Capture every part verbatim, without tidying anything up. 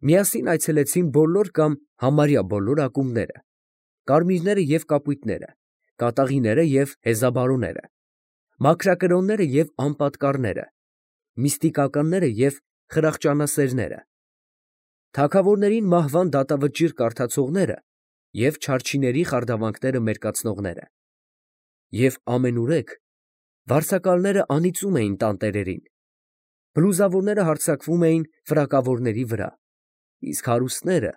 Միասին այցելեցին բոլոր կամ համարյա բոլոր ակումբները, կարմիրները և կապույտները, կատաղիները և հեզաբարոները, մաքրակրոնները և անպատկառները, միստիկականները և խրախճանասերները, թագավորներին մահվան դատավճիռ կարդացողները և չարչիների խարդավանքները մերկացնողները, և ամենուրեք վարձակալները անիծում էին տանտերերին, բլուզավորները հարձակվում էին ֆրակավորների վրա, իսկ հարուստները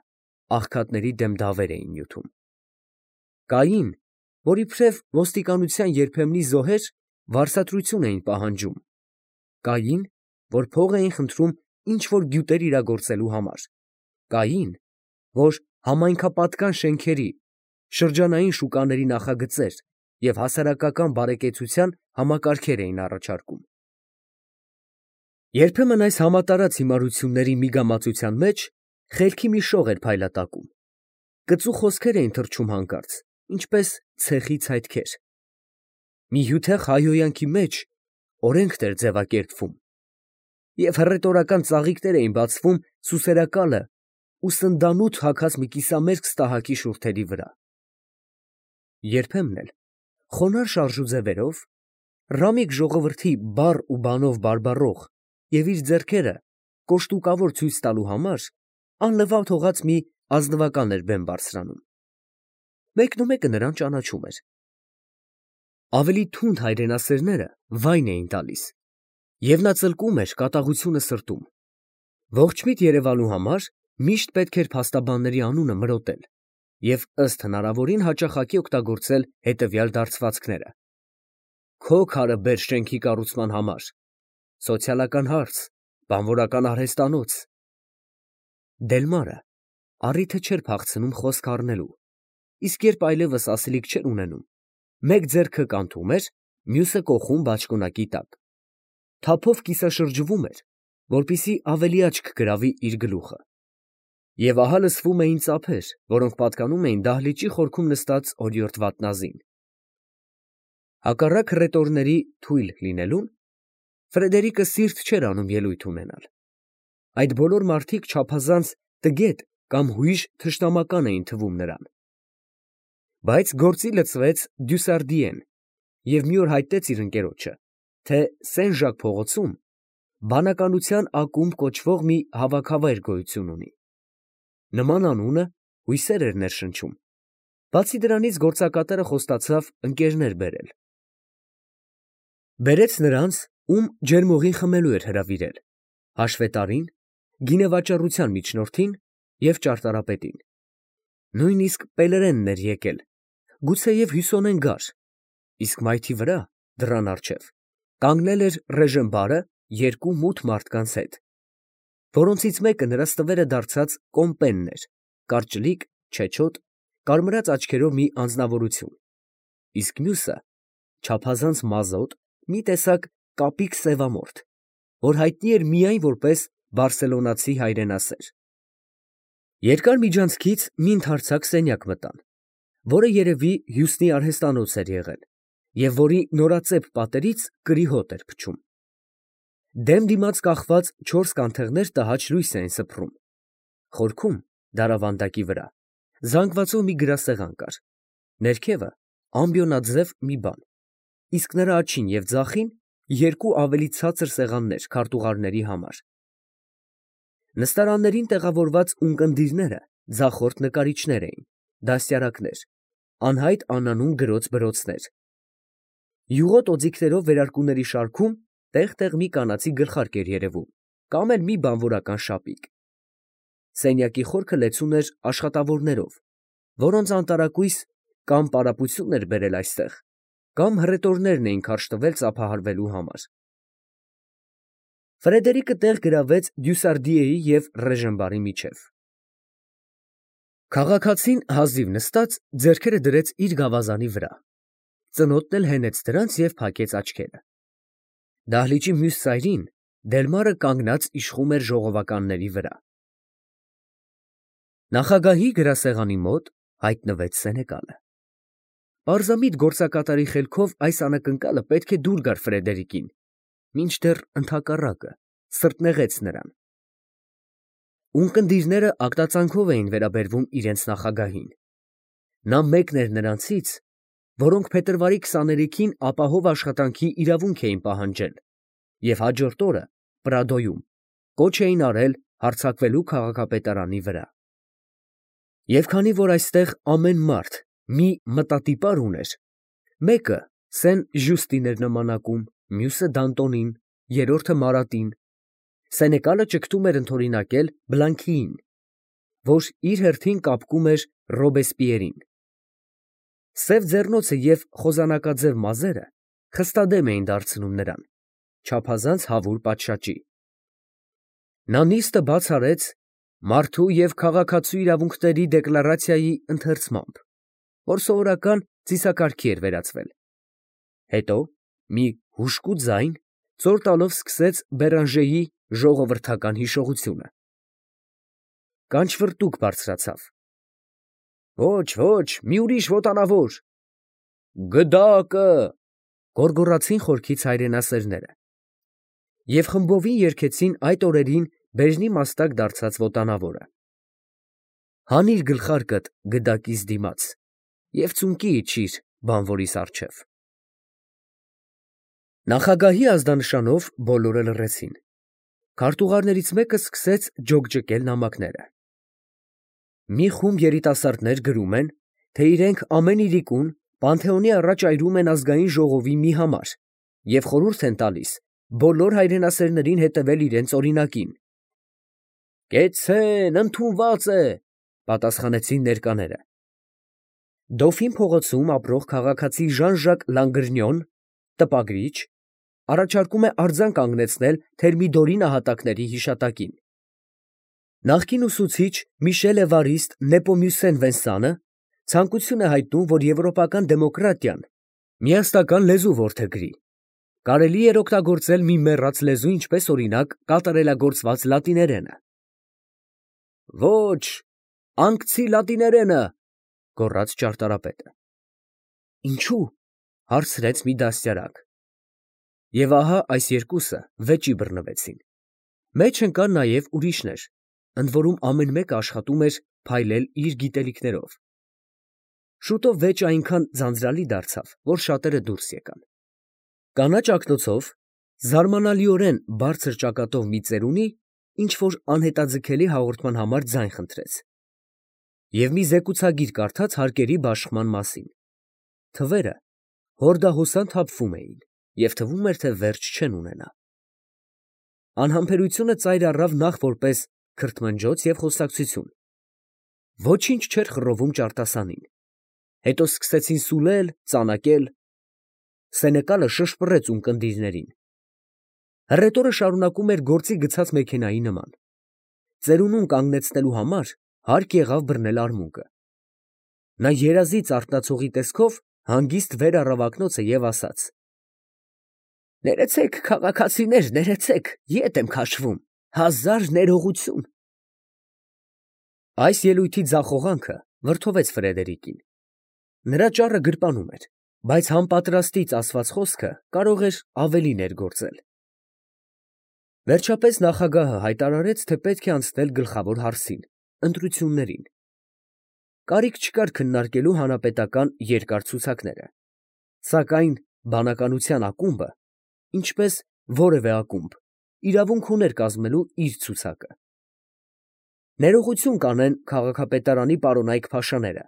աղքատների դեմ դավեր էին նյութում։ Կային, որ իբրև ոստիկանության երբեմնի զոհեր, վարձատրություն էին պահանջում, կային, որ փող էին խնդրում ինչ֊որ գյուտեր իրագործելու համար, կային, որ համայնքապատկան շենքերի, շրջանային շուկաների նախագծեր և հասարակական բարեկեցության համակարգեր էին առաջարկում։ Երբեմն այս համատարած հիմարությունների միգամածության մեջ խելքի մի շող էր փայլատակում, կծու խոսքեր էին թռչում հանկարծ, ինչպես ցեխի ցայտքեր, մի հյութեղ հայհոյանքի մեջ օրենքներ էր ձևակերպվում, և հռետորական ծաղիկներ էին բացվում սուսերակալը ու սնդանութ հագած մի կիսամերկ ստահակի շուրթերի վրա։ Երբեմն էլ խոնարհ շարժուձևերով, ռամիկ ժողովրդի բառ ու բանով բարբառող և իր ձեռքերը կոշտուկավոր ցույց տալու համար անլվավ թողած մի ազնվական էր բեմ բարձրանում։ Մեկնումեկը նրան ճանաչում էր։ Ավելի թունդ հայրենասերները վայն էին տալիս, և նա ծլկում էր կատաղությունը սրտում։ Ողջմիտ երևալու համար միշտ պետք էր փաստաբանների անունը մրոտել և ըստ հնարավորին հաճախակի օգտագործել հետևյալ դարձվածքները. «Քո քարը բեր շենքի կառուցման համար», «Սոցիալական հարց», «Բանվորական արհեստանոց»։ Դելմարը առիթը չէր փախցնում խոսք առնելու, իսկ երբ այլևս ասելիք չէր ունենում, մեկ ձեռքը կանթում էր, մյուսը կոխում բաճկոնակի տակ, թափով կիսաշրջվում էր, որպեսզի ավելի աչք գրավի իր գլուխը։ Եվ ահա լսվում էին ծափեր, որոնք պատկանում էին դահլիճի խորքում նստած օրիորդ վատնազին։ Հակառակ հռետորների թույլ լինելուն, Ֆրեդերիկը սիրտ չէր անում ելույթ ունենալ։ Այդ բոլոր մարդիկ չափազանց տգետ կամ հույժ թշնամական էին թվում նրան։ Բայց գործի լծվեց Դյուսարդիեն և մի օր հայտնեց իր ընկերոջը, թե Սեն֊Ժակ փողոցում բանականության ակումբ կոչվող մի հավաքավայր գոյություն ունի։ Նման անունը հույսեր էր ներշնչում, բացի դրանից գործակատար խոստացավ ընկերներ բերել։ Բերեց նրանց, ում ջերմուղին խմելու էր հրավիրել, հաշվետարին, գինեվաճառության միջնորդին և ճարտարապետին։ Նույնիսկ պելերենն էր եկել, գուցեև հյուսոնեն գար, իսկ մայթի վրա, դռան առջև, կանգնել էր Ռեժեն֊բարը երկու մութ մարդկանց հետ, որոնցից մեկը նրա ստվերը դարձած կոմպենն էր, կարճլիկ, չեչոտ, կարմրած աչքերով մի անձնավորություն, իսկ մյուսը չափազանց մազոտ, մի տեսակ կապիկ սևամորթ, որ հայտնի էր միայն որպես բարսելոնացի հայրենասեր։ Երկար միջանցքից մի ընդարձակ սենյակ մտան, որը երևի հյուսնի արհեստանոց էր եղել և որի նորածեպ պատերից կրի հոտ էր փչում։ Դեմ դիմաց կախված չորս կանթեղներ տհաճ լույս էին սփռում, խորքում, դարավանդակի վրա, զանգվածով մի գրասեղան կար, ներքևը ամբիոնաձև մի բան, իսկ նրա աջին և ձախին երկու ավելի ցածր սեղաններ քարտուղարների համար։ Նստարաններին տեղավորված ունկնդիրները ձախորդ նկարիչներ էին, դաստիարակներ, անհայտ անանուն գրոց֊բրոցներ։ Յուղոտ օձիքներով վերարկուների շարքում տեղ֊տեղ մի կանացի գլխարկ էր երևում, կամ էլ մի բանվորական շապիկ։ Սենյակի խորքը լեցուն էր աշխատավորներով, որոնց անտարակույս կամ պարապություն էր բերել այստեղ, կամ հռետորներն էին քարշ տվել ծափահարվելու համար։ Ֆրեդերիկը տեղ գրավեց Դյուսարդիեի և Ռեժեն֊բարի միջև։ Քաղաքացին հազիվ նստած ձեռքերը դրեց իր գավազանի վրա, ծնոտն էլ հենեց դրանց և փակեց աչքերը։ Դահլիճի մյուս ծայրին Դելմարը կանգնած իշխում էր ժողովականների վրա։ Նախագահի գրասեղանի մոտ հայտնվեց սենեկալը։ Պարզամիտ գործակատարի խելքով այս անակնկալը պետք է դուր գար Ֆրեդերիկին, մինչդեռ ընդհակառակը սրտնեղեց նրան։ Ունկնդիրները ակտածանքով էին վերաբերվում իրենց նախագահին։ Նա մեկն էր նրանցից, որոնք փետրվարի քսաներեքին ապահով աշխատանքի իրավունք էին պահանջել և հաջորդ օրը Պրադոյում կոչ էին արել հարձակվելու քաղաքապետարանի վրա։ Եվ քանի որ այստեղ ամեն մարդ մի մտատիպար ուներ, մեկը Սեն֊Ժյուստին էր նմանակում, մյուսը Դանտոնին, երրորդը Մարատին, Սենեկալը ճգտում էր ընդօրինակել Բլանքիին, որ իր հերթին կապկում էր Ռոբեսպիերին։ Սև ձեռնոցը և խոզանակաձև մազերը խստադեմ էին դարձնում նրան, չափազանց հավուր պատշաճի։ Նա նիստը բաց արեց մարդու և քաղաքացու իրավունքների դեկլարացիայի ընթերցմամբ, որ սովորական ծիսակարգի էր վերածվել։ Հետո մի հուժկու ձայն ծոր տալով սկսեց Բերանժեի ժողովրդական հիշողությունը։ Կանչվրտուք բարձրացավ։ Ոչ, ոչ, մի ուրիշ ոտանավոր։ Գդակը, գոռգոռացին խորքից հայրենասերները։ Եվ խմբովին երգեցին այդ օրերին բեժնի մաստակ դարձած ոտանավորը. հանիր գլխարկդ գդակիս դիմաց և ծունկի իջիր բանվորիս առջև։ Նախագահի ազդանշանով բոլորը լռեցին։ Քարտուղարներից մեկը սկսեց ջոկջկել նամակները։ Մի խումբ երիտասարդներ գրում են, թե իրենք ամեն իրիկուն Պանթեոնի առաջ այրում են ազգային ժողովի մի համար և խորհուրդ են տալիս բոլոր հայրենասերներին հետևել իրենց օրինակին։ Կեցցե՛ն, ընդունված է, պատասխանեցին ներկաները։ Դոֆին փողոցում ապրող քաղաքացի Ժան֊Ժակ Լանգրնյոն, տպագրիչ, առաջարկում է արձան կանգնեցնել Թերմիդորի նահատակների հիշատակին։ Նախկին ուսուցիչ Միշել Էվարիստ Նեպոմյուսեն Վենսանը ցանկություն է հայտնում, որ եվրոպական դեմոկրատիան միասնական լեզու որդեգրի։ Կարելի էր օգտագործել մի մեռած լեզու, ինչպես օրինակ կատարելագործված լատիներենը։ Ոչ, անկցի լատիներենը, գոռաց ճարտարապետը։ Ինչու՞, հարցրեց մի դաստիարակ։ Եվ ահա այս երկուսը վեճի բռնվեցին։ Մեջ ընկան նաև ուրիշներ, ընդ որում ամեն մեկը աշխատում էր փայլել իր գիտելիքներով։ Շուտով վեճը այնքան ձանձրալի դարձավ, որ շատերը դուրս եկան։ Կանաչ ակնոցով, զարմանալիորեն բարձր ճակատով մի ծերունի ինչ֊որ անհետաձգելի հաղորդման համար ձայն խնդրեց և մի զեկուցագիր կարդաց հարկերի բաշխման մասին։ Թվերը հորդահոսան թափվում էին, և թվում էր, թե վերջ չեն ունենա։ Անհամբերությունը ծայր առավ նախ որպես քրթմնջոց և խոսակցություն։ Ոչինչ չէր խռովում ճարտասանին։ Հետո սկսեցին սուլել, ծանակել։ Սենեկալը շշպռեց ունկնդիրներին։ Հռետորը շարունակում էր գործի գցած մեքենայի նման։ Ծերունուն կանգնեցնելու համար հարկ եղավ բռնել արմունկը։ Նա երազից արթնացողի տեսքով հանգիստ վեր առավ ակնոցը և ասաց. Ներեցեք, քաղաքացիներ, ներեցեք, ետ եմ քաշվում, հազար ներողություն։ Այս ելույթի ձախողանքը վրդովեց Ֆրեդերիկին։ Նրա ճառը գրպանում էր, բայց համապատրաստից ասված խոսքը կարող էր ավելի ներգործել։ Վերջապես նախագահը հայտարարեց, թե պետք է անցնել գլխավոր հարցին, ընտրություններին։ Կարիք չկար քննարկելու հանրապետական երկար ցուցակները, սակայն բանականության ակումբը, ինչպես որևէ ակումբ, իրավունք ուներ կազմելու իր ցուցակը։ Ներողություն կանեն քաղաքապետարանի պարոնայք փաշաները,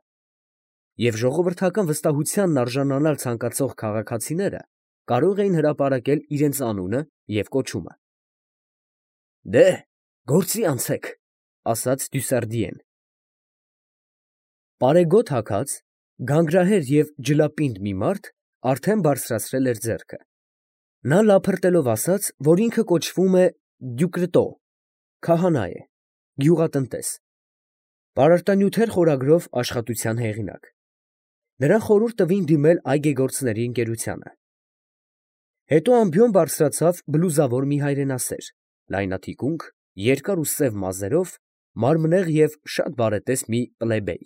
և ժողովրդական վստահությանն արժանանալ ցանկացող քաղաքացիները կարող էին հրապարակել իրենց անունը և կոչումը։ Դե, գործի անցեք, ասաց Դյուսարդիեն։ Պարեգոտ հագած, գանգրահեր և ջլապինդ մի մարդ արդեն բարձրացրել էր ձեռքը։ Նա լափրտելով ասաց, որ ինքը կոչվում է Դյուկրտո, քահանա է, գյուղատնտես, պարարտանյութեր խորագրով աշխատության հեղինակ։ Նրան խորհուրդ տվին դիմել այգեգործների ընկերությանը։ Հետո ամբիոն բարձրացավ բլուզավոր մի հայրենասեր, լայնաթիկունք, երկար ու սև մազերով, մարմնեղ և շատ բարետես մի պլեբեյ։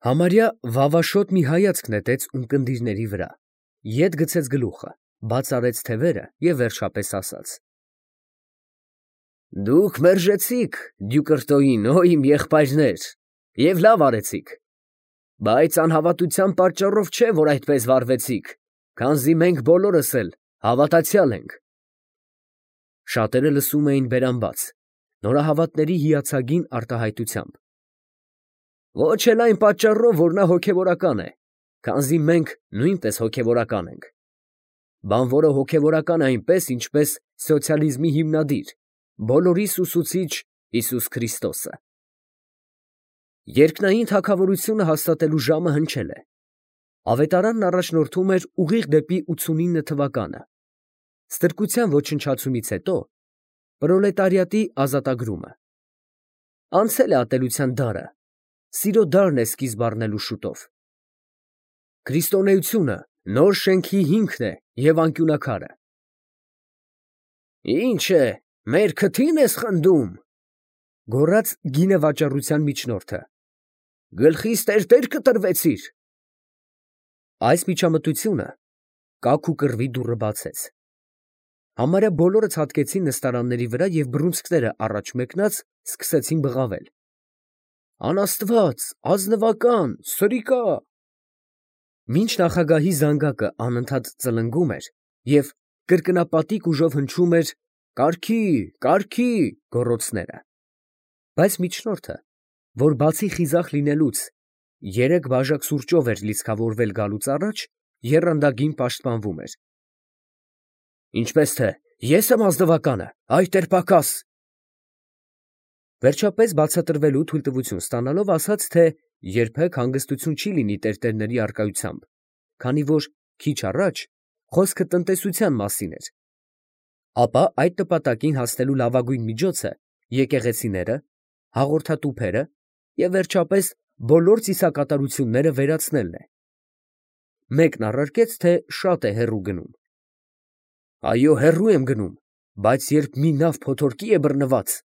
Համարյա վավաշոտ մի հայացք նետեց ունկնդիրների վրա, ետ գցեց գլուխը, բաց արեց թևերը և վերջապես ասաց. Դուք մերժեցիք Դյուկրտոյին, օ իմ եղբայրներ, և լավ արեցիք, բայց անհավատության պատճառով չէ, որ այդպես վարվեցիք, քանզի մենք բոլորս էլ հավատացյալ ենք։ Շատերը լսում էին բերանբաց, նորահավատների հիացագին արտահայտությամբ։ Ոչ էլ այն պատճառով, որ նա հոգևորական է, քանզի մենք նույնպես հոգևորական ենք։ Բանվորը հոգևորական է այնպես, ինչպես սոցիալիզմի հիմնադիր, բոլորիս ուսուցիչ Հիսուս Քրիստոսը։ Երկնային թագավորությունը հաստատելու ժամը հնչել է։ Ավետարանն առաջնորդում էր ուղիղ դեպի ութսունինը թվականը։ Ստրկության ոչնչացումից հետո պրոլետարիատի ազատագրումը։ Անցել է ատելության դարը, սիրո դարն է սկիզբ առնելու շուտով։ Քրիստոնեությունը նոր շենքի հիմքն է և անկյունաքարը։ Ի՞նչ է, մեր քթի՞ն ես խնդում, գոռաց գինեվաճառության միջնորդը, գլխիս տերտեր կտրվեցիր։ Այս միջամտությունը կակ ու կռվի դուռը բացեց։ Համարյա բոլորը ցատկեցին նստարանների վրա և բռունցքները առաջ մեկնած սկսեցին բղավել. Անաստված, ազնվական, սրիկա։ Մինչ նախագահի զանգակը անընդհատ ծլնգում էր և կրկնապատիկ ուժով հնչում էր «Կարգի, կարգի» գոռոցները, բայց միջնորդը, որ բացի խիզախ լինելուց երեք բաժակ սուրճով էր լիցքավորվել գալուց առաջ, եռանդագին պաշտպանվում էր։ Ինչպես թե ես եմ ազնվականը, այ տեր֊Պակաս։ Վերջապես բացատրվելու թույլտվություն ստանալով ասաց, թե երբեք հանգստություն չի լինի տերտերների առկայությամբ, քանի որ քիչ առաջ խոսքը տնտեսության մասին էր, ապա այդ նպատակին հասնելու լավագույն միջոցը եկեղեցիները, հաղորդատուփերը և վերջապես բոլոր ծիսակատարությունները վերացնելն է։ Մեկն առարկեց, թե շատ է հեռու գնում։ Այո, հեռու եմ գնում, բայց երբ մի նավ փոթորկի է բռնված…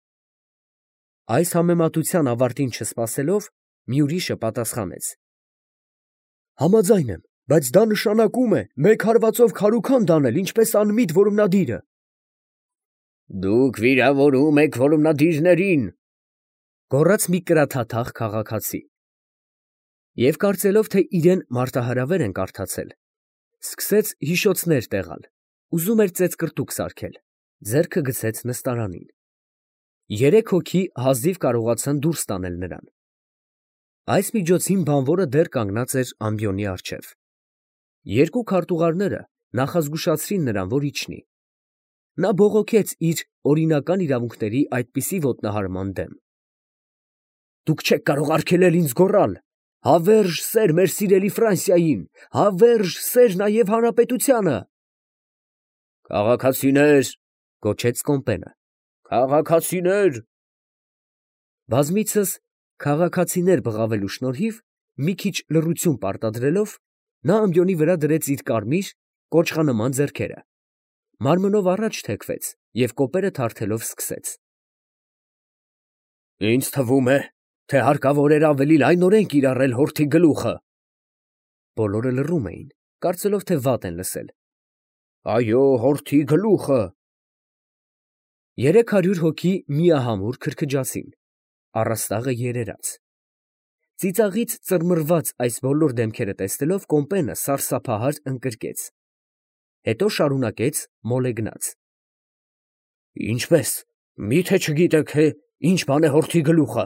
Այս համեմատության ավարտին չսպասելով, մի ուրիշը պատասխանեց. Համաձայն եմ, բայց դա նշանակում է մեկ հարվածով քարուքանդ անել, ինչպես անմիտ որումնադիրը։ Դուք վիրավորում եք որումնադիրներին, գոռաց մի կրաթաթախ քաղաքացի։ Եվ կարծելով, թե իրեն մարտահրավեր են կարդացել, սկսեց հիշոցներ տեղալ, ուզում էր ծեծկռտուք սարքել, ձեռքը գցեց նստարանին։ Երեք հոգի հազիվ կարողացան դուրս տանել նրան։ Այս միջոցին բանվորը դեռ կանգնած էր ամբիոնի առջև։ Երկու քարտուղարները նախազգուշացրին նրան, որ իջնի։ Նա բողոքեց իր օրինական իրավունքների այդպիսի ոտնահարման դեմ։ Դուք չեք կարող արգելել ինձ գոռալ. «Հավերժ սեր մեր սիրելի Ֆրանսիային, հավերժ սեր նաև հանրապետությանը»։ Քաղաքացիներ, գոչեց Կոմպենը, քաղաքացիներ։ Բազմիցս քաղաքացիներ բղավելու շնորհիվ, մի քիչ լռություն պարտադրելով, նա ամբիոնի վրա դրեց իր կարմիր, կոճղանման ձեռքերը, մարմնով առաջ թեքվեց և կոպերը թարթելով սկսեց. Ինձ թվում է, թե հարկավոր էր ավելի լայնորեն կիրառել հորթի գլուխը։ Բոլորը լռում էին, կարծելով, թե վատ են լսել։ Այո, հորթի գլուխը։ Երեք հարյուր հոգի միահամուռ քրքջացին, առաստաղը երերաց։ Ծիծաղից ծռմռված այս բոլոր դեմքերը տեսնելով, Կոմպենը սարսափահար ընկրկեց, հետո շարունակեց մոլեգնած. Ինչպե՞ս, մի՞թե չգիտեք, թե ինչ բան է հորթի գլուխը։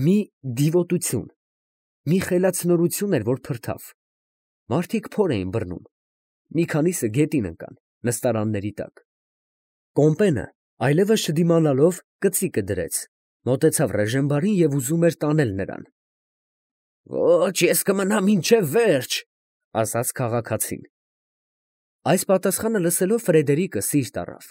Մի դիվոտություն, մի խելացնորություն էր, որ փրթավ։ Մարդիկ փոր էին բռնում, մի քանիսը գետին ընկան, նստարանների տակ։ Կոմպենը, այլևս չդիմանալով, կծիկը դրեց, մոտեցավ Ռեժենբարին և ուզում էր տանել նրան։ Ոչ, ես կմնամ մինչև վերջ, ասաց քաղաքացին։ Այս պատասխանը լսելով, Ֆրեդերիկը սիրտ առավ։